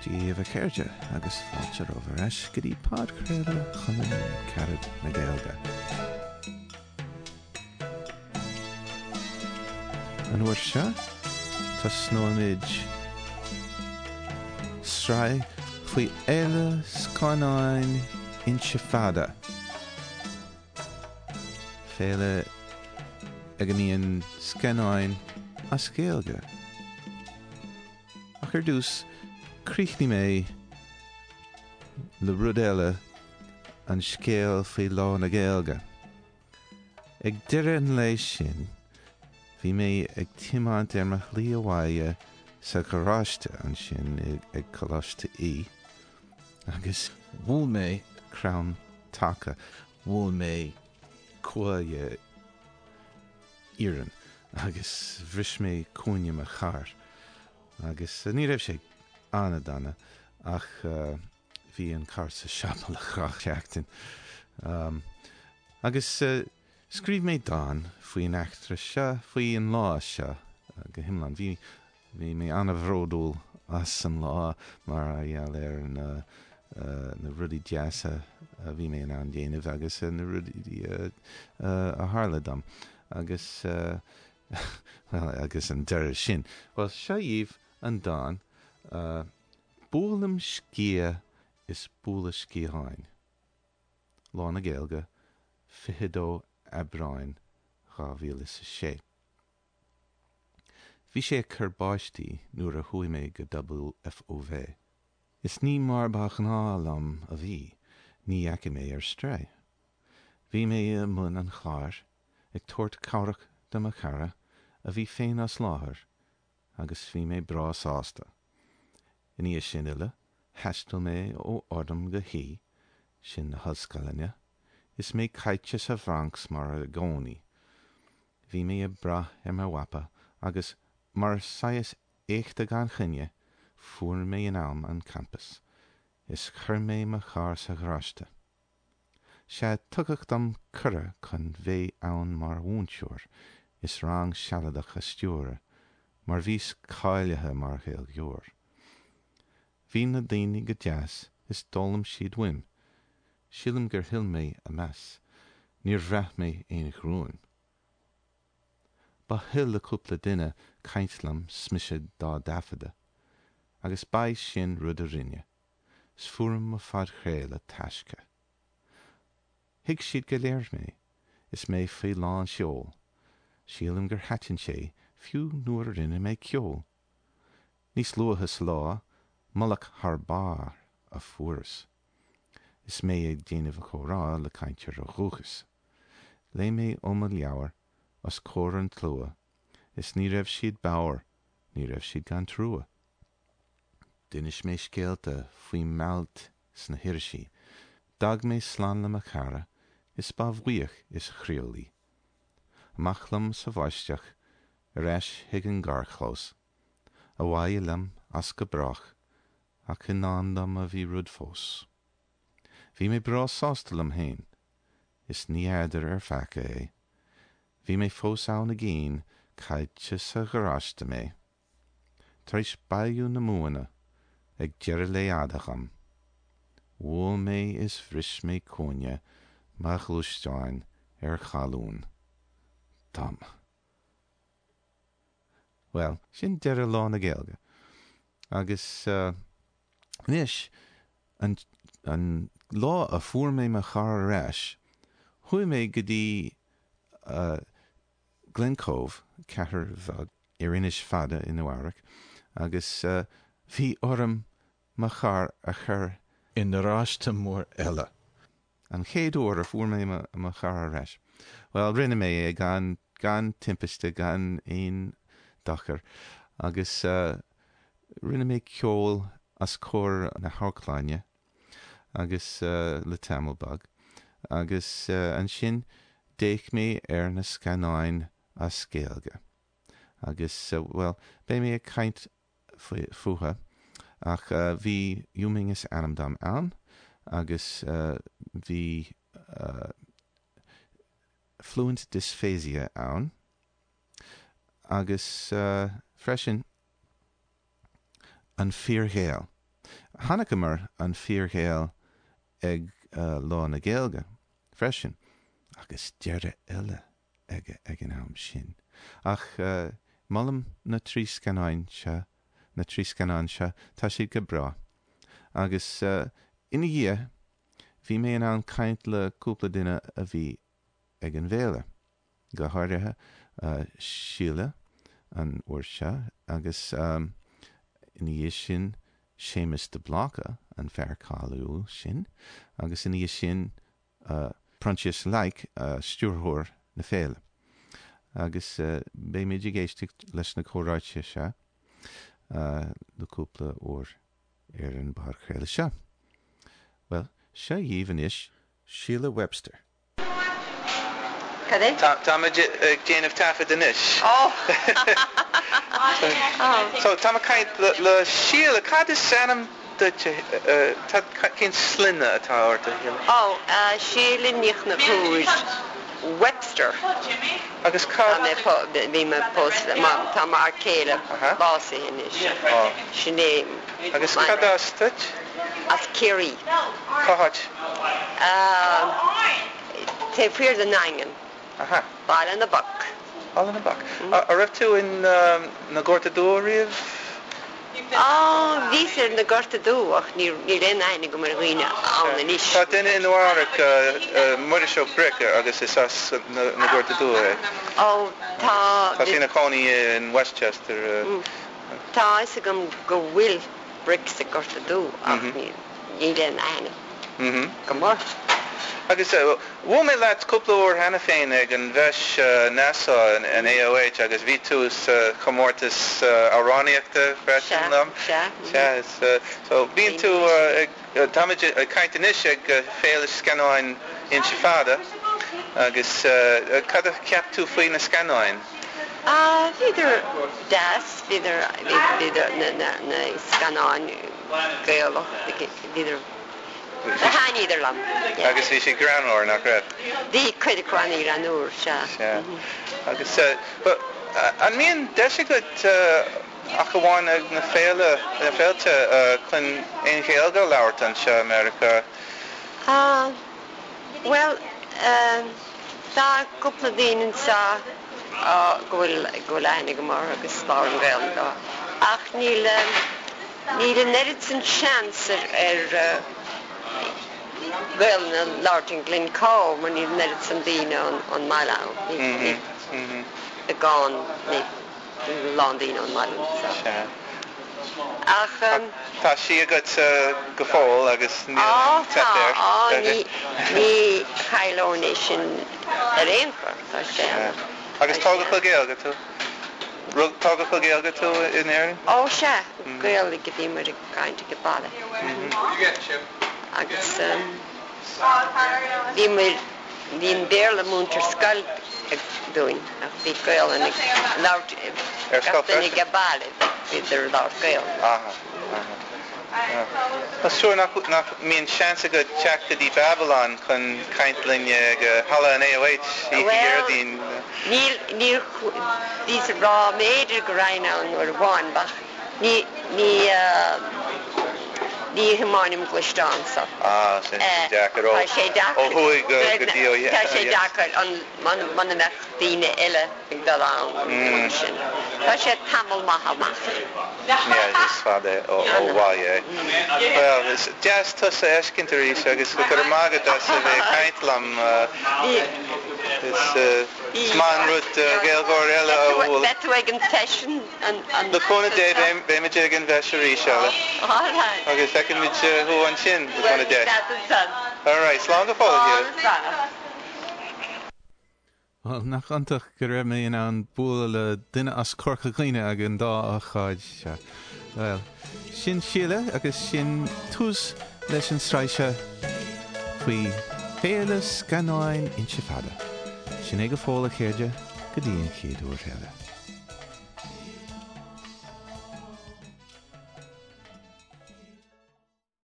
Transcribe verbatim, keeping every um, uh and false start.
Dia dhaoibh a chairde agus fáilte romhaibh ar ais go dtí podchraoladh Chumann Carad na Gaeilge. An uair seo, tosnóimid sraith faoi Fhéile Scannáin Inse Fada. Féile ag a mbíonn scannáin as Gaeilge. Ach ar dtús, críochnóidh mé le rud eile, an scéal faoi Lá na Gaeilge. Ag deireadh an lae sin, bhí mé ag tiomáint ar mo shlí abhaile sa gharáiste ansin ag Coláiste Í, agus bhuail mé crann taca, bhuail mé cuaille iarainn agus bhris mé cúinne mo chairr. Agus ní raibh sé an-dona ach bhí an carr sa siopa le dhá sheachtain. Agus scríobh mé dán faoin eachtra seo, faoi an lá seo go hiomlán. Bhí bhí mé an-bhródúil as an lá mar gheall ar na na rudaí deasa a bhí mé in ann déanamh agus na rudaí a tharla dom. Agus bhuel, agus an deireadh sin. Bhuel, seo dhaoibh an dán, Buailim sciath is bualadh sciatháin. Lá na Gaeilge, fiche dó Aibreáin dhá mhíle is a sé. Bhí sé ag cur báistí nuair a chuaigh mé go WFOV. Is ní mar ba ghnáth liom a bhí, ní dheachaigh mé ar strae. Bhí mé i mbun an chláir, ag tabhairt cabhrach do mo chara, a bhí féin as láthair, agus bhí mé breá sásta. I ndiaidh sin uile, thaistil mé ó Ardam go hÍ, sin na hollscoileanna, is mé caite sa Bhronx mar i gcónaí. Bhí mé ag brath ar mo mhapa agus, mar saghas éachta gan choinne, fuair mé in am an campas, is chuir mé mo charr sa gharáiste. Sea, tugadh dom cuireadh chun bheith ann mar mhúinteoir is rang sealadach a stiúradh, mar bhíos cáilithe mar Ghaeilgeoir. Bhí na daoine go deas is d'fhoghlaim siad uaim. Sílim gur thuill mé a meas. Níor bhraith mé aon ghruaim. Ba thoil le cúpla duine caint liom 's mise dá dtaifeadadh, agus ba é sin rud a rinne, 's fuair mo phodchraoladh taiscthe. Thuig siad go léir mé, is mé faoi lán seoil. Sílim gur thaitin sé, fiú nuair a rinne mé ceol. Níos luaithe sa lá, moladh thar barr a fuaireas, is mé ag déanamh comhrá le cainteoir ó dhúchas. Léigh mé ó mo leabhar os comhair an tslua, is ní raibh siad bodhar, ní raibh siad gan trua. D'inis mé scéalta faoi m'ailt sna hirisí. D'fhág mé slán le mo chara, is ba bhuíoch is chroíúil í. Amach liom sa bháisteach, ar ais chuig an gcarrchlós. Abhaile liom as go brách, ach i ndán dom a bhí rud fós. Bhí mé breá sásta liom féin, is ní fheadar ar pheaca é. Bhí mé fós ann i gcian, caillte sa gharáiste mé. Tar éis bailiú na mbuanna ag deireadh lae fhada dhom. Bhuail mé is bhris mé cúinne mo ghluaisteáin ar cholún dom. Bhuel, sin deireadh Lá na Gaeilge. Agus anois, an an lá a fuair mé mo charr ar ais, chuaigh mé go dtí Glen Cove, cathair bheag ar Inis Fada i Nua Eabhrac, agus bhí orm mo charr a chur i ngaráiste mór eile. An chéad uair a fuair mé mo charr ar ais. Bhuel, rinne mé é gan gan timpiste, gan aon dochar, agus rinne mé ceol os comhair na hamharclainne agus le tamall beag, agus ansin d'fhéach mé ar na scannáin as Gaeilge. Agus, bhuel, beidh mé ag caint fúthu, ach bhí Yu Ming is ainm dom ann, agus bhí Fluent Dysphasia ann, agus freisin An Fíor-Ghael. Chonaiceamar an fíorGhael ag Lá na Gaeilge freisin, agus deireadh eile aige ag an am sin. Ach molaim na trí scannáin seo, na trí scannán seo, tá siad go breá. Agus ina dhiaidh, bhí mé in ann caint le cúpla duine a bhí ag an bhféile, go háirithe Síle an uair seo agus ina dhiaidh sin Séamus de Bláca, an fear cáiliúil sin, agus ina dhiaidh sin Proinsias Lake, stiúrthóir na féile. Agus beimid ag éisteacht leis na comhráite seo le cúpla uair ar an bpodchraoladh seo. Bhuel, seo dhaoibh anois Síle Webster. Cad é? Táimid ag déanamh taifead anois. Ó! So, táim ag caint le Síle. Cad is ainm duit? Cén sloinne atá ort, a Shíle? Ó, Síle Ní Chonchúir Webster. Agus cad. Tá mé, bhí mé pósta, tá m'fhear céile básaithe anois. Sin é. Agus cad as duit? As Ciarraí. Cá háit? Taobh thiar den nDaingean. Aha. Baile na bPoc. Baile na bPoc. An raibh tú in na Gorta Dubha riamh? Á, bhíos ar na Gorta Dubha ach níl aon aithne agam ar dhaoine ann anois. Tá duine i Nua-Eabhrac, Muiris Ó Bric, agus is as na Gorta Dubha é. Ó, tá. Tá sé ina chónaí in Westchester. Tá a fhios agam go bhfuil Bric sa Gorta Dubh ach níl aon aithne agam orthu. Agus bhuail mé leat cúpla uair cheana féin ag an bhFeis Nassau in AOH agus bhí tú sa chomórtas amhránaíochta freisin liom. Sea, sea. Sea, so bíonn tú ag, táimid ag caint anois ag Féile Scannáin Inse Fada agus cad a cheap tú faoi na scannáin? Ah, bhíodar deas, bhíodar, bhíodar na, na scannáin Gaelach, bhíodar, thaitníodar liom. Agus bhí siad greannmhar, nach raibh? Bhí cuid acu an-ghreannmhar, sea. Sea. Agus an mbíonn deis agat ach amháin ag na féile, na féilte chun aon Ghaeilge a labhairt anseo i Meiriceá? Ah, bhuel, tá cúpla daoine anseo go bhfuil, go bhfuil aithne agam orthu agus labhraím Gaeilge leo. Ach níl, níl an oiread sin seans ar, ar Gaeilge a labhairt in Glencoe mar níl an oiread sin daoine ón mbaile ann. Níl, níl beagán, níl a lán daoine ón mbaile anseo. Sea. Ach. Tá sí agat go fóill agus níl Á, teip tá, air. á, ní, ní chaillfinn é sin ar aon chor, tá sé ann. Agus tógadh le Gaeilge tú? Rug, tógadh le Gaeilge tú in Éirinn? Ó, sea, Gaeilge a bhíomar ag caint ag baile. Agus bhíomar, bhí an Béarla múinte ar scoil dúinn ach bhí Gaelainn ag labhairt Ar scoil gach duine freisin? ag baile, bhíodar ag labhairt Gaelainn. Aha, aha. Tá súil nach nach mbíonn seans agat teacht go dtí Babylon chun caint linn ag Halla an AOH oíche Well, Dhéardaoin. níl, níor, bhíos ag rá b'fhéidir go raghainn ann uair amháin ach ní, ní, ní thiomáinim gluaisteán so. Ah, sin deacair ó Tá sé deacair. ó thuaidh go go dtí ó Tá sé dheas. deacair an muna mbeadh daoine eile ag dul ann mar sin. Tá sé tamall maith amach. Yeah, is fada ó ó bhaile é. Well, is deas tusa a fheiscint arís agus go raibh maith agat as a bheith ag caint liom. Is is maith an rud Gaeilgeoir eile a bhualadh. Beidh tú ag an bhfeis an an Le cúnamh Dé beimid ag an bhfeis arís eile. All right. Agus feicfimid thú ansin le Well, cúnamh Dé. that's it done. All right, slán go fóill, Slán, Shíle. slán. Bhuel, nach iontach go raibh mé in ann bualadh le duine as Corca Dhuibhne ag an dá ócáid seo. Well, sin Síle agus sin tús leis an tsraith seo faoi Féile Scannáin Inse Fada. Sin é go fóill a chairde go dtí an chéad uair eile.